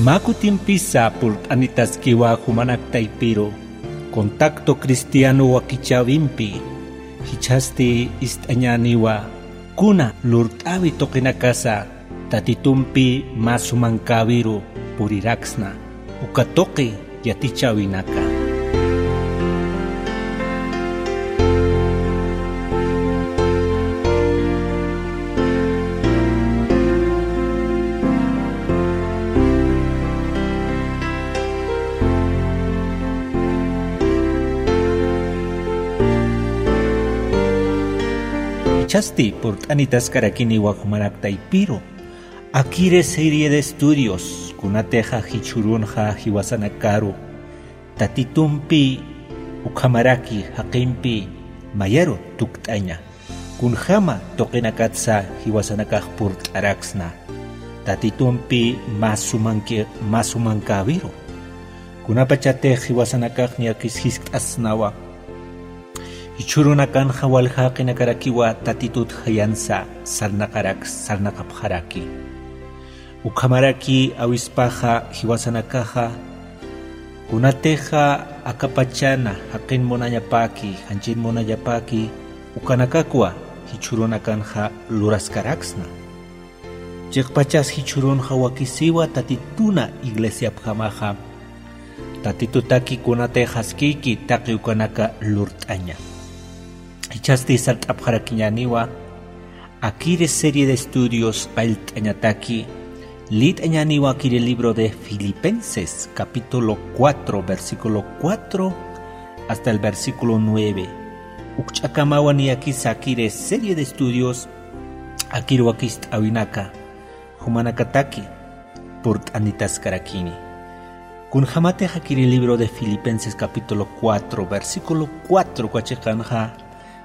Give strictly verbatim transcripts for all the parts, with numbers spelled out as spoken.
Mä kutimpisa purt'anitaskiwa jumanak taypiru, Contacto Cristiano wakichäwimpi, jichhasti ist'añäniwa kuna lurt'äwi tuqinakasa Tatitumpi mä sumankäwiru puriraksna, uka tuqi yatichäwinaka. Jichhasti purt'anitaskarakiniwa jumanak taypiru, akiri serie de estudios kunatixa jichhürunxa jiwasanakaru Tatitumpi ukhamaraki jaqimpi mayaru tukt'aña, kunjama tuqinakatsa jiwasanakax purt'araksna Tatitumpi mä sumanki-, mä sumankäwiru. Kunapachatix jiwasanakax niyakis jiskt'asnawa, jichhürunakanxa walja jaqinakarakiwa Tatitut jayansa sarnaqaraks-, sarnaqapxaraki. Ukhamaraki awispaxa jiwasanakaxa, kunatixa akapachana jaqin munañapaki, janchin munañapaki, ukanakakwa jichhürunakanxa luraskaraksna. Chiqpachas jichhürunxa wakisiwa Tatituna iglesiapjamaxa, Tatitutaki kunatix jaskiki taqi ukanaka lurt'aña. Jichhasti sart'apxarakiñäniwa, akiri serie de estudios qallt'añataki, liyt'añäniwa akiri libro de Filipenses, capítulo cuatro, versículo cuatro hasta el versículo nueve. Ukch'akamawa niyakisa akiri serie de estudios, akiri wakist'äwinaka, jumanakataki purt'anitaskarakini. Kunjamatix akiri libro de Filipenses capítulo cuatro, versículo cuatro uka chiqanxa,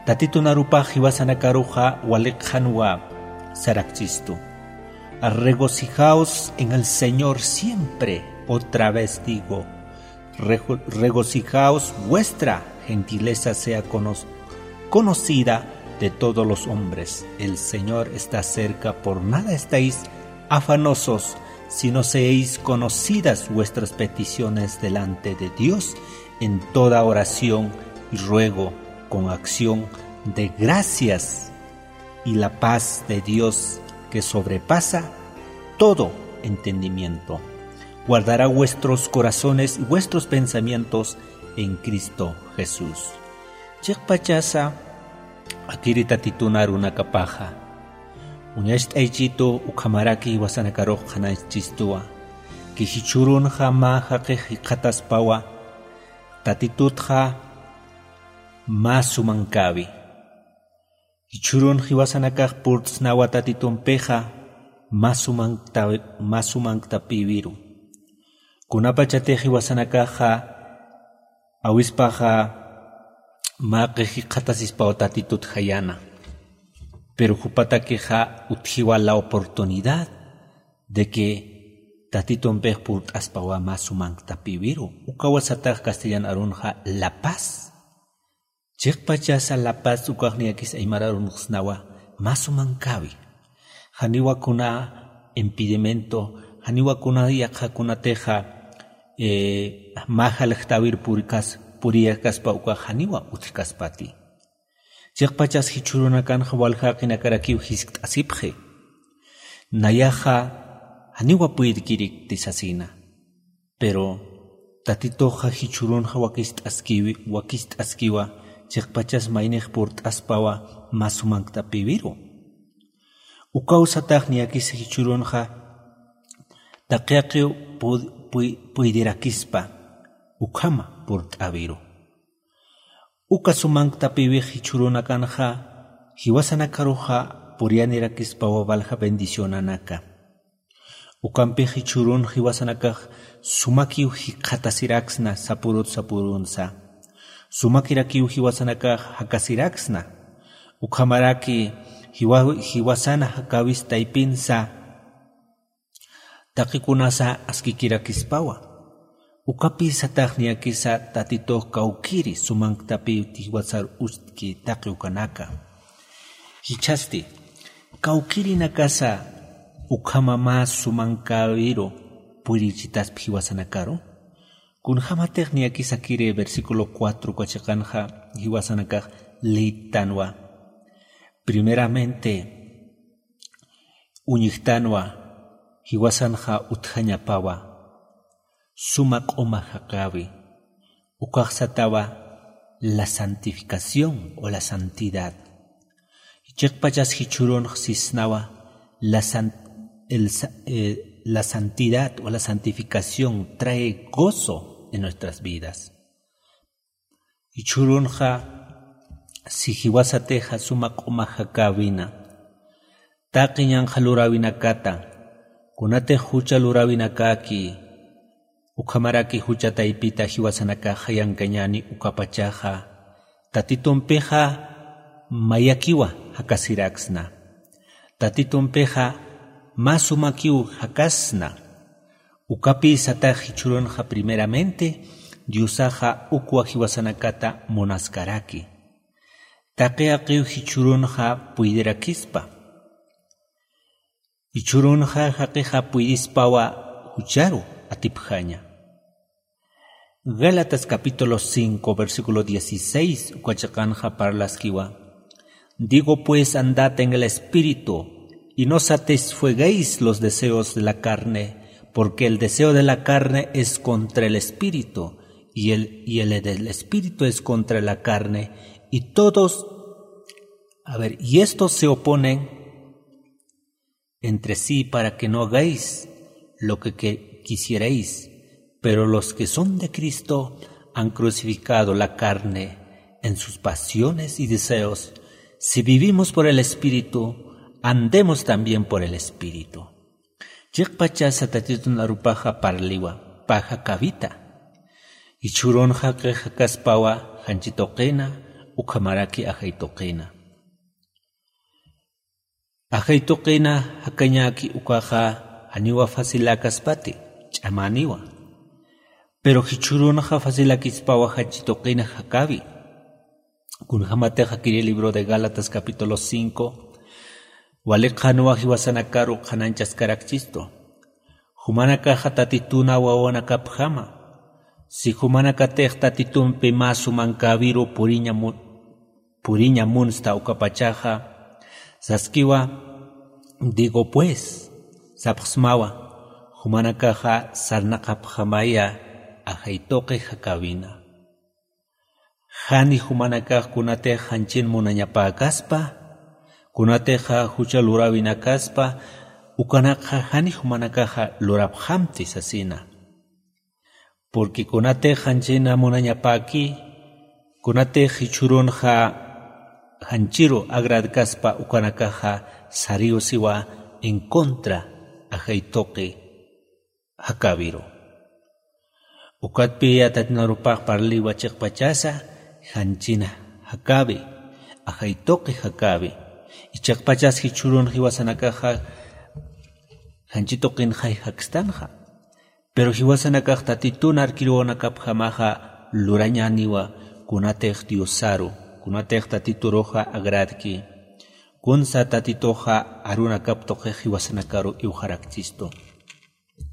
Tatitun arupax jiwasanakaruxa wali qhanwa sarakchistu. Regocijaos en el Señor siempre, otra vez digo, rego-, regocijaos, vuestra gentileza sea cono-, conocida de todos los hombres. El Señor está cerca, por nada estéis afanosos, sino seáis conocidas vuestras peticiones delante de Dios en toda oración y ruego con acción de gracias, y la paz de Dios, que sobrepasa todo entendimiento, guardará vuestros corazones y vuestros pensamientos en Cristo Jesús. Chiqpachasa akiri Tatitun arunakapaxa, uñacht'aychitu ukhamaraki jiwasanakarux qhanaychistuwa, que jichhürunxa mä jaqix jikxataspawa, Tatitutxa mä sumankäwi. Jichhürun jiwasanakax purt'snawa Tatitumpixa, mä sumankta-, mä sumanktapïwiru. Kunapachatix jiwasanakaxa awispaxa mä jaqix jikxatasispaw Tatitut jayana. Pero jupatakixa utjiwa la oportunidad de que Tatitumpix purt'aspawa mä sumanktapïwiru. Ukawa satax castellan arunxa la paz. Chiqpachasa la paz ukax niyakis aymar arunxsnawa mä sumankäwi. Janiwa kuna impedimento, janiwa kuna yaqha kunatixa, eh, mä jaljtäwir purikas-, puriyakaspa ukax janiwa utjkaspati. Chiqpachas jichhürunakanxa walja jaqinakarakiw jiskt'asipxi. Nayaxa janiwa puydkirikti sasina. Pero Tatituxa jichhürunxa wakist'askiwi-, wakist'askiwa, chiqpachas maynix purt'aspawa mä sumanktapïwiru. Ukaw satax niyakis jichhürunxa taqi jaqiw pu-, puy-, puydirakispa ukhama purt'äwiru. Uka sumanktapïwix jichhürunakanxa jiwasanakaruxa puriyanirakispawa walja bendicionanaka. Ukampix jichhürun jiwasanakax sumakiw jikxatasiraksna sapürut sapürunsa. Sumakirakiw jiwasanakax jakasiraksna. Ukhamaraki jiwa-, jiwasana jakäwis taypinsa, taqikunasa askikirakispawa. Ukapï satax niyakisa Tatitux kawkïri sumanktapïw jiwasar utjki taqi ukanaka. Jichhasti, kawkïrinakasa ukhama mä sumankäwiru purichitaspi jiwasanakaru. Kunjamatix niyakisakiri versículo cuatro uka chiqanxa jiwasanakax liytanwa. Primeramente uñjtanwa jiwasanxa utjañapawa suma q'uma jaqäwi. Ukax satawa la santificación o la santidad. Chiqpachas jichhürunx sisnawa la san- el sa- eh, la santidad o la santificación trae gozo en nuestras vidas. Jichhürunxa si jiwasatixa suma q'uma jakäwina taqi ñanqha luräwinakata, kunatix jucha luräwinakäki ukhamaraki jucha taypita jiwasanakax jayankañäni ukapachaxa, Tatitumpixa mayakiwa jakasiraksna. Tatitumpixa mä sumakiw jakasna. Ukapï satax jichhürunxa primeramente Diosaxa ukwa jiwasanakata munaskaraki. Taqi jaqiw jichhürunxa puydirakispa. Jichhürunxa jaqixa puydispawa jucharu atipjaña. Gálatas capítulo cinco, versículo dieciséis, uka chiqanxa parlaskiwa. Digo pues, andad en el Espíritu, y no satisfagáis los deseos de la carne, porque el deseo de la carne es contra el Espíritu, y el, y el del Espíritu es contra la carne, y todos, a ver, y estos se oponen entre sí para que no hagáis lo que, que quisierais. Pero los que son de Cristo han crucificado la carne en sus pasiones y deseos. Si vivimos por el Espíritu, andemos también por el Espíritu. Chiqpachasa Tatitun arupaxa parliwa, pä jakäwita. Jichhürunxa q'ix jakaspawa janchi tuqina, ukhamaraki ajay tuqina. Ajay tuqina jakañäki ukaxa janiwa faciläkaspati, ch'amäniwa. Pero jichhürunxa facilakispawa janchi tuqina jakäwi. Kunjamatixa kiri libro de Gálatas capítulo cinco, wali qhanwa jiwasanakaru qhanañchaskarakchistu. Jumanakaxa Tatituna wawanakapjama. Si jumanakatix Tatitumpi mä sumankäwiru puriña mu- puriña munsta ukapachaxa, saskiwa, digo pues, sapxsmawa, jumanakaxa sarnaqapxamaya ajay tuqi jakäwina. Jani jumanakax kunatix janchin munañapäkaspa, kunatixa jucha luräwinakaspa, ukanakxa jani jumanakaxa lurapxamti sasina. Porque kunatix janchina munañapäki, kunatix jichhürunxa janchiru agradkaspa ukanakaxa sariw siwa en contra ajay tuqi jakäwiru. Ukatpï Tatitun arupax parliwa chiqpachasa janchina jakäwi, ajay tuqi jakäwi. Y chiqpachas jichhürun jiwasanakaxa janchi tuqinxay jakstanxa. Pero jiwasanakax Tatitun arkiruwanakapjamaxa lurañäniwa kunatix Diosaru, kunatix Tatituruxa agradki. Kunsa Tatituxa arunakap tuqix jiwasanakaru iwxarakchistu.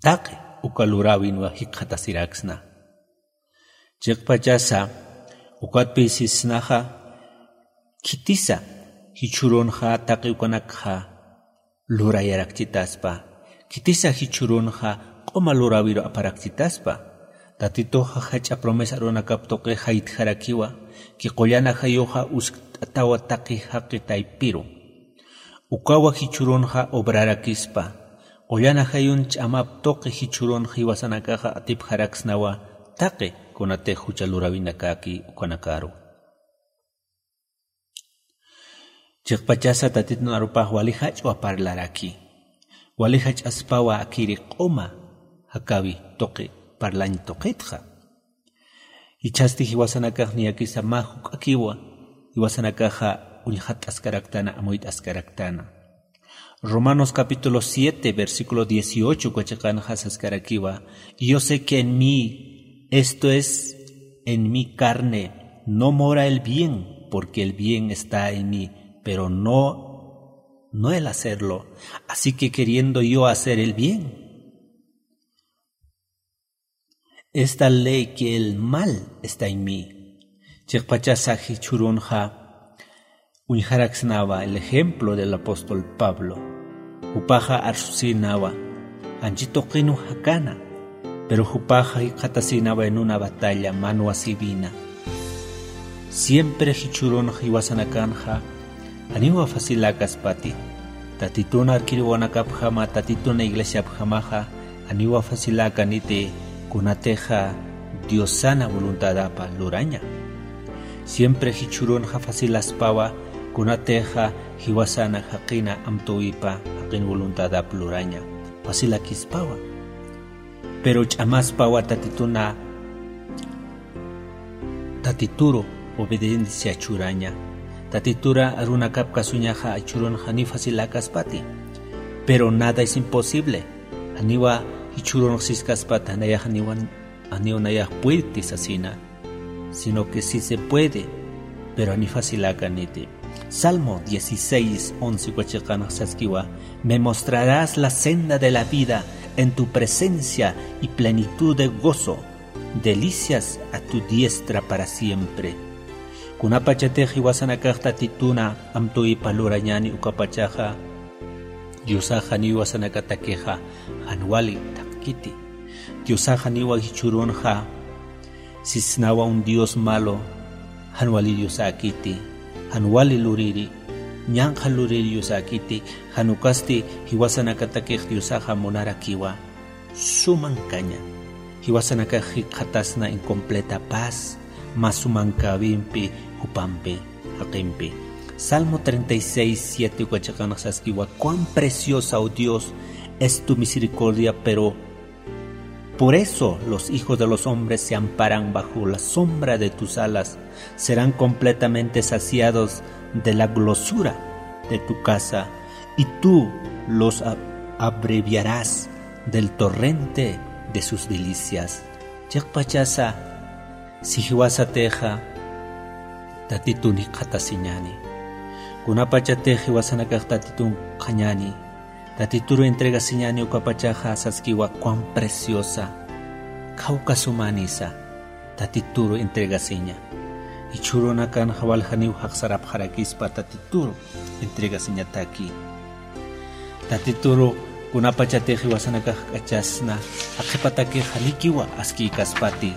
Taqi uka luräwinwa jikxatasiraksna. Chiqpachasa ukatpï sisnaxa, khitisa jichhürunxa taqi ukanakxa lurayarakchitaspa, khitisa jichhürunxa q'uma luräwiru aparakchitaspa. Tatituxa jach'a promesa arunakap tuqi jaytjarakiwa, ki qullan ajayuxa uskt'atawa taqi jaqi taypiru. Ukawa jichhürunxa obrarakispa, qullan ajayun ch'amap tuqi jichhürun jiwasanakaxa atipjaraksnawa taqi kunatix jucha luräwinakäki ukanakaru. Chiqpachasa Tatitun arupax wali jach'a parlaraki. Wali jach'aspawa akiri q'uma jakäwi tuqi parlañ tuqitxa. Jichhasti jiwasanakax niyakisa mä juk'akiwa, jiwasanakaxa uñxatt'askaraktana, amuyt'askaraktana. Romanos capítulo siete, versículo dieciocho uka chiqanxa saskarakiwa: "Y yo sé que en mí, esto es, en mi carne, no mora el bien, porque el bien está en mí, pero no, no el hacerlo. Así que queriendo yo hacer el bien, Esta ley que el mal está en mí. Chiqpachasa jichhürunxa uñjaraksnawa el ejemplo del apóstol Pablo. Jupaxa arsusïnawa, janchi tuqinw jakana, pero jupaxa jikxatasïnawa en una batalla, mano asivina. Siempre jichhürunxa jiwasanakanxa janiwa faciläkaspati. Tatitun arkiriwanakapjama, Tatitun iglesiapjamaxa janiwa faciläkaniti, kunatixa Diosana voluntadapa luraña. Siempre jichhürunxa facilaspawa, kunatixa jiwasana jaqina amtüwipa jaqin voluntadap luraña, facilakispawa. Pero ch'amaspawa Tatituna, Tatituru obediencia churaña. Tatitura arunakap kasuñaxa jichhürunxa janiw faciläkaspati. Pero nada es imposible. Janiwa jichhürunx siskaspati, janiwa, janiw nayax puedti sasina, sino que sí se puede, pero janiw faciläkaniti. Salmo dieciséis once uka chiqanx saskiwa: "Me mostrarás la senda de la vida, en tu presencia y plenitud de gozo, delicias a tu diestra para siempre". Kunapachatix jiwasanakax Tatituna amtüwipa lurañani ukapachaxa, Diosax janiw jiwasanakatakixa jan wali thaqkiti. Diosax janiwa jichhürunxa sisnawa un Dios malo, jan wali Diosäkiti, jan wali luriri, ñanqha luriri Diosäkiti, jan ukasti jiwasanakatakix Diosaxa munarakiwa suma ankaña. Jiwasanakax jikxatasna en completa paz, mä suma ankawimpi jupampi, jaqimpi. Salmo treinta y seis siete uka chiqanx saskiwa: "Cuán preciosa, oh Dios, es tu misericordia, pero por eso los hijos de los hombres se amparan bajo la sombra de tus alas, serán completamente saciados de la grosura de tu casa, y tú los ab-, abreviarás del torrente de sus delicias". Chiqpachasa, si jiwasatixa Tatitun jikxatasiñani, kunapachatix jiwasanakax Tatitun q'añani, Tatituru entregasiñani ukapachaxa saskiwa: "Cuán preciosa, khawka sumanisa". Tatituru entregasiña. Jichhürunakanxa wal janiw jaqsarapxarakispa Tatituru entregasiñataki. Tatituru kunapachatix jiwasanakax k'achasna, jaqipataki janikiwa askïkaspati.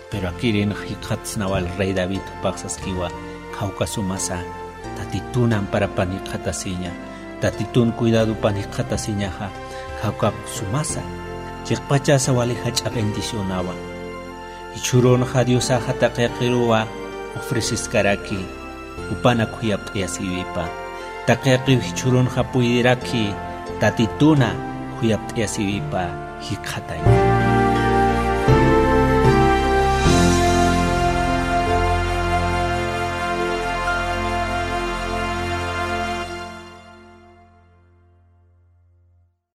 Pero akirinx jikxatsnawa el rey David, jupax saskiwa: "Khawka sumasa, Tatitun amparapan jikxatasiña, Tatitun cuidadopan jikxatasiñaxa, khawka sumasa, chiqpachasa wali jach'a bendicionawa". Jichhürunxa Diosaxa taqiqiruwa ofreceskaraki, jupanak khuyapt'ayasiwipa. Taqiqiw jichhürunxa puediraki Tatituna khuyapt'ayasiwipa jikxataña.